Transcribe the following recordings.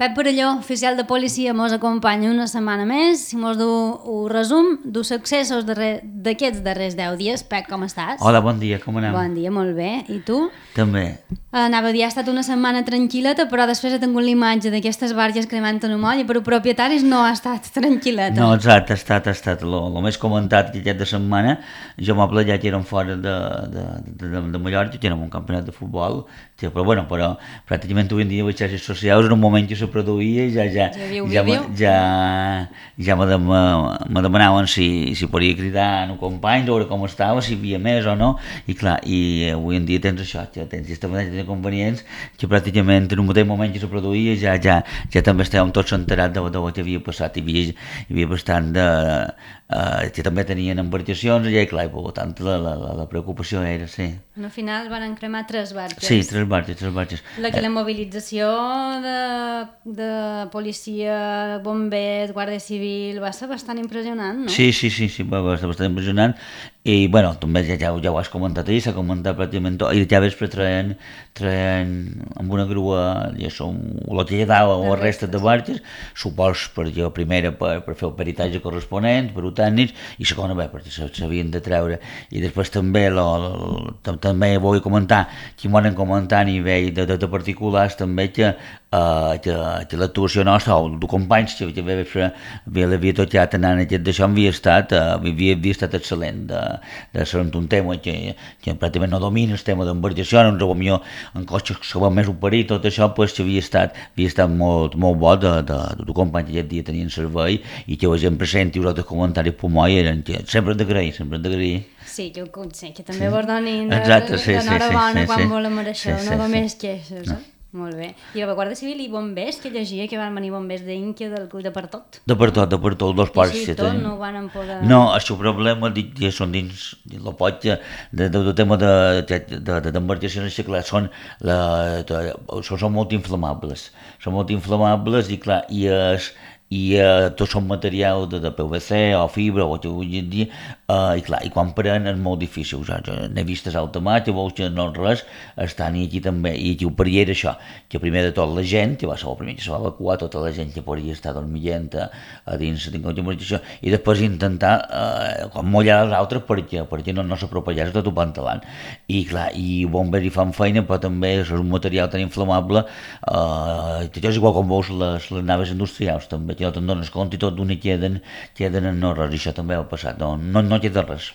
Pep Perelló, oficial de policia, mos acompanya una setmana més i mos du un resum dels successos d'aquests darrers 10 dies. Pep, com estàs? Hola, bon dia, com anem? Bon dia, molt bé. I tu? També. Anava a dir, ha estat una setmana tranquil·leta, però després he tingut l'imatge d'aquestes barges cremant en un moll i per propietaris no ha estat tranquil·leta. No, exacte, ha estat el més comentat aquest de setmana. Jo m'ho plejat i érem fora de Mallorca, tenim un campionat de futbol, però pràcticament avui en dia les xarxes socials en un moment que se produïa ja me demanaven si podia cridar a un company, veure com estava, si hi havia més o no, i clar, i avui en dia tens això, tens aquesta manera de inconvenients que pràcticament en un mateix moment que se produïa ja també estàvem tots enterats de què havia passat, hi havia bastant que també tenien embarcacions i clar, i per tant la preocupació era, sí. Al final van cremar 3 barges. Sí, 3 barges. La mobilització de policia, bombers, guàrdia civil va ser bastant impressionant, no? Sí, va ser bastant impressionant i bueno, també ja ho has comentat ahir, s'ha comentat pràcticament tot, i ja vespre traien amb una grua el que hi ha dalt o la resta de barges, suposo per primera per fer el peritatge corresponent, per tècnics, i segona perquè s'havien de treure, i després també també vull comentar que m'ho han comentat a nivell de particulars també que l'actuació nostra o de companys que l'havia tocat anant aquest d'això havia estat excel·lent de ser un tema que pràcticament no domina el tema d'embarcació, en cotxes que van més operir, tot això pues, que havia estat molt bo de companys que aquest dia tenien servei i que la gent presenti els altres comentaris per moi eren que sempre hem d'agrair. Sí, que també vos donin l'enhorabona quan volen això, no només queixes. Molt bé. I la Guàrdia Civil i bombers, que llegia que van venir bombers d'Inca, de per tot? De per tot, dos parts. I així tot no ho van poder... No, el seu problema ja són dins el pot del tema d'embarcacions, clar, són molt inflamables. Són molt inflamables i clar, tots són material de PVC o fibra o que vull dir, i clar, i quan prenen és molt difícil. N'he vistes alta mar, que veus que no res, estan aquí també, i aquí ho pariera això, que primer de tot la gent, que va ser el primer que se va evacuar, tota la gent que podria estar dormint a dins d'embarcació, i després intentar mullar els altres perquè no s'apropellés tot el pantalant. I clar, i bombers hi fan feina, però també és un material tan inflamable, que és igual com veus les naves industrials també, que no te'n dones compte i tot d'una queden en no res, i això també ha passat, no queda res.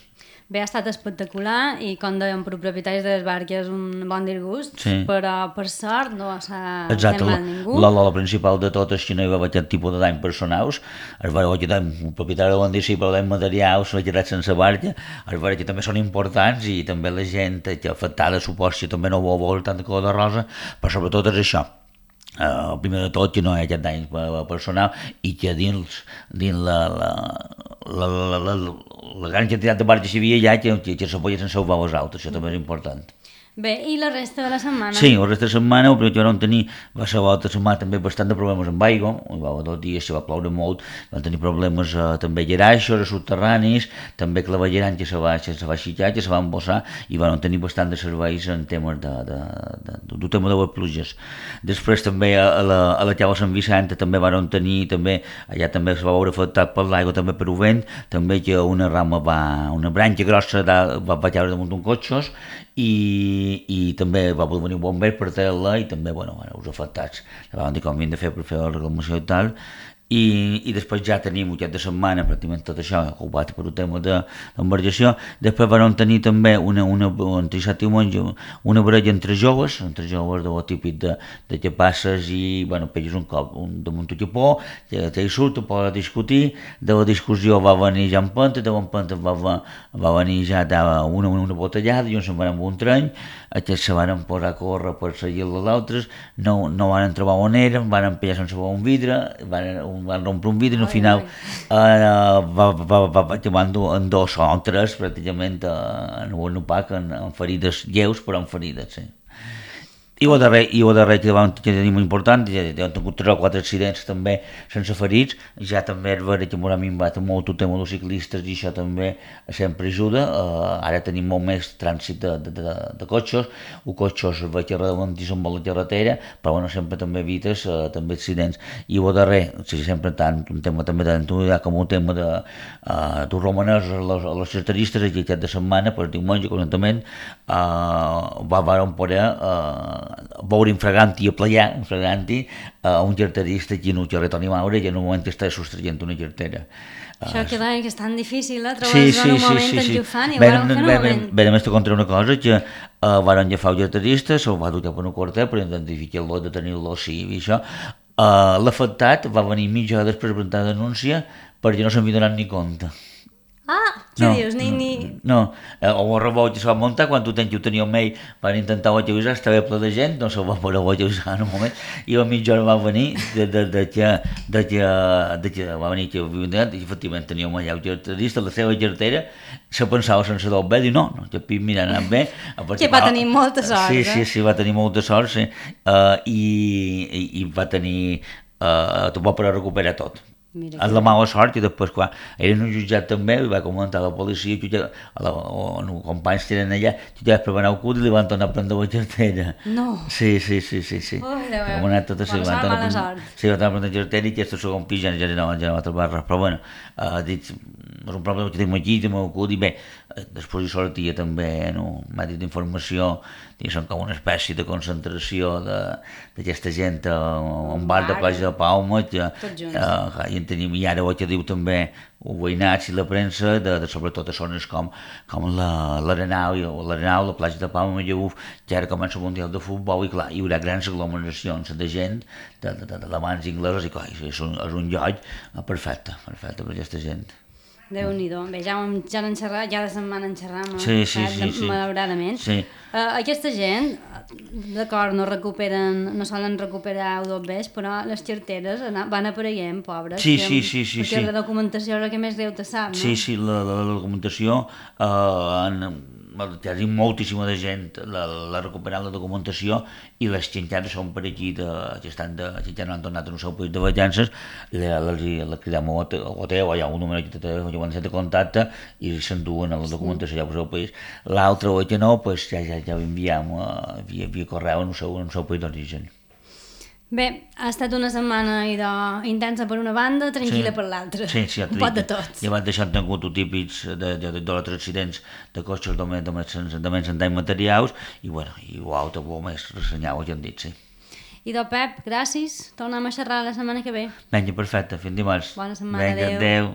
Bé, ha estat espectacular i com dèiem per propietaris de les barques un bon disgust, sí. Però per sort no s'ha fet mal ningú. La principal de tot és que no hi va haver aquest tipus de dany personals, es va veure que un propietari de bon dir sí, però dany materials s'ha quedat sense barca, es va veure que també són importants i també la gent que afectada suposo que també no vol veure tanta color de rosa, però sobretot és això. Primer de tot que no hi ha aquest dany personal i que dins la gran quantitat de barques que hi havia que se podien salvar els altres, això també és important. Bé, i la resta de la setmana? Sí, la resta de la setmana, el primer que vam tenir va ser l'altra setmana també bastant de problemes amb aigua, dos dies se va ploure molt, vam tenir problemes també a Geraixos, a subterranis, també clavegerant que se va aixecar, que se va embossar i vam tenir bastant de serveis en temes del tema de les pluges. Després també a la Cala Sant Vicent també vam tenir, allà també es va veure afectat per l'aigua, també per el vent, també que una branca grossa va caure damunt d'un cotxos i també va poder venir un bomber per treure-la i també, els afectats van dir com havien de fer per fer la reclamació i tal i després ja tenim aquest de setmana pràcticament tot això ocupat per un tema d'embarcació. Després vam tenir també entre dissabte i diumenge una baralla entre joves de lo típic de que passes i pegues un cop damunt un capó, te hi surt, te pots discutir, de la discussió va venir ja empenta, de l'empenta va venir ja una botellada i uns se'n van amb un tren, aquests se van posar a córrer per seguir els altres, no van trobar on eren, van empellar sense un vidre, van rompre un vidre i al final van en 2 o 3 pràcticament en un opac amb ferides lleus però amb ferides, sí. I el darrer que vam tenir molt important, ja hem tingut 3 o 4 accidents també sense ferits, ja també és vera que m'ha minvat molt el tema dels ciclistes i això també sempre ajuda. Ara tenim molt més trànsit de cotxes, els cotxes veig que ralenteixen molt la carretera, però bueno, sempre també evites també accidents. I el darrer, sí, sempre tant un tema també d'antonitat com un tema de romanès a les charteristes, aquí aquest de setmana, per diumenge, conjuntament, vam poder veure infraganti a playar, un carterista aquí en el carrer Toni Maura i en un moment que està sostraient una cartera. Això que és tan difícil, trobar-se en un moment enllufant i vam fer un moment. Bé, només te contaré una cosa, que van agafar el carterista, se'l va dur cap a una quartet per identificar-lo, de tenir-lo sí i això. L'afectat va venir mitja hora després de presentar la denúncia perquè no s'havia donat ni compte. Què dius? No, el rebot que se va muntar, quan ho tenia el mail, van intentar utilitzar, estava ple de gent, no se'l va poder utilitzar en un moment, i a mitja hora va venir de que va venir que efectivament tenia un allà carterista, la seva cartera, se pensava sense del bé, diu no, que mira, ha anat bé. Que va tenir molta sort, Sí, va tenir molta sort, sí, i va tenir, va poder recuperar tot. És la mala sort i després quan eren un jutjat també i va comentar a la policia els companys que eren allà jutjats per anar al cul i li van tornar a prendre la cartera. No. Sí. Mala sort. Sí, van tornar a prendre la cartera i aquest segon pis ja no va trobar res, però bueno, és un problema que tenim aquí, tenim al cul i bé, després hi sortia també en un medi d'informació, són com una espècie de concentració d'aquesta gent a un bar de Platja de Palma i ara ho que diu també els veïnats i la premsa sobretot a zones com l'Arenal, la Platja de Palma i Llauf, que ara comença el Mundial de Futbol i clar, hi haurà grans aglomeracions de gent d'amants inglesos i clar, és un lloc perfecte per aquesta gent. Déu-n'hi-do. Bé, ja n'han xerrat, ja de setmana en xerram, sí. malauradament. Sí. Aquesta gent, d'acord, no solen recuperar O2Bs, però les carteres van apareguent, pobres. Sí. Perquè la documentació és el que més greu te sap, no? Sí, la documentació, hi ha moltíssima de gent la recuperant la documentació i les que encara són per aquí que encara no han tornat al seu país de vacances, la cridem a l'hotel, hi ha un número de contacte i s'enduen a la documentació ja al seu país. L'altre o que no, ja ho enviem via correu en el seu país d'origen. Bé, ha estat una setmana intensa per una banda, tranquil·la per l'altra. Sí, un pot de tot. Llevat d'això han tingut típics d'altres accidents de cotxes de menys en danys materials i l'altre més ressenyau, ja hem dit, sí. I Pep, gràcies. Tornem a xerrar la setmana que ve. Vinga, perfecte, fins dimarts. Bona setmana, adéu.